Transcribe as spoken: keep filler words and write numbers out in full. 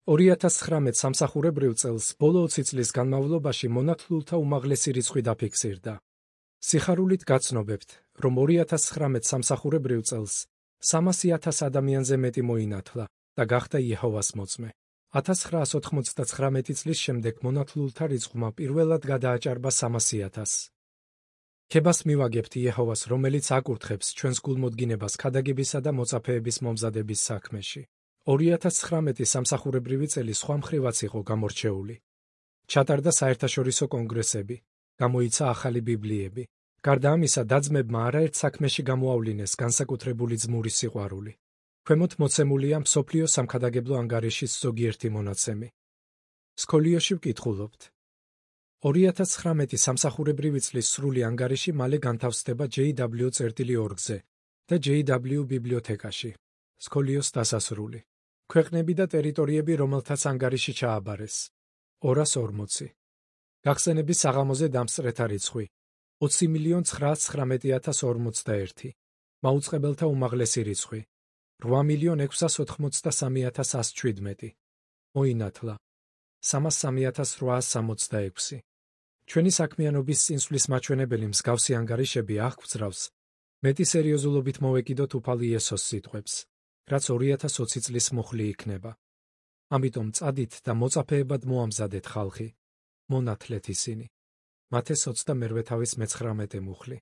ორი ათას ცხრამეტ სამსახურებრივ წელს ბოლო ოცი წლის განმავლობაში მონათლულთა უმაღლესი რიცხვი დაფიქსირდა. სიხარულით გაცნობებთ, რომ ორი ათას ცხრამეტ სამსახურებრივ წელს სამასი ათას ადამიანზე მეტი მოინათლა და გახდა იეჰოვას მოწმე. ათას ცხრაას ოთხმოცდაცხრამეტი წლის შემდეგ მონათლულთა რიცხვმა პირველად გადააჭარბა სამასი ათასს. ქებას მივაგებთ იეჰოვას, რომელიც აკურთხებს ჩვენს გულმოდგინებას ქადაგებისა და მოწაფეების მომზადების საქმეში. ორი ათას ცხრამეტი სამსახურებრივი წელი სხვა მხრივაც იყო გამორჩეული. ჩატარდა საერთაშორისო კონგრესები, გამოიცა ახალი ბიბლიები. გარდა ამისა, და-ძმებმა არაერთ საქმეში გამოავლინეს განსაკუთრებული ძმური სიყვარული. ქვემოთ მოცემულია მსოფლიო სამქადაგებლო ანგარიშის ზოგიერთი მონაცემი. სკოლიოში ვკითხულობთ. ორი ათას ცხრამეტი სამსახურებრივი წლის სრული ანგარიში მალე განთავსდება ჯეი დაბლიუ ორგ-ზე და ჯეი დაბლიუ ბიბლიოთეკაში. სკოლიოს დასასრული. ქვეყნები და ტერიტორიები, რომელთაც ანგარიში ჩააბარეს. ორას ორმოცი. გახსენების საღამოზე დამსწრეთა რიცხვი. ოცი მილიონ ცხრაას ცხრამეტი ათას ორმოცდაერთი. მაუწყებელთა უმაღლესი რიცხვი. რვა მილიონ ექვსას ოთხმოცდასამი ათას ასი შვიდმეტი. მოინათლა. სამას სამი ათას რვაას სამოცდაექვსი. ჩვენი საქმიანობის წინსვლის მაჩვენებელი მსგავსი ანგარიშები აღგვძრავს, მეტი სერიოზულობით მოვეკიდოთ უფალი იესოს სიტყვებს, რაც ორი ათას ოცი წლის მუხლი იქნება. ამიტომ წადით და მოწაფეებად მოამზადეთ ხალხი. მონათლეთ ისინი. მათეს ოცდამერვე თავის მეცხრამეტე მუხლი.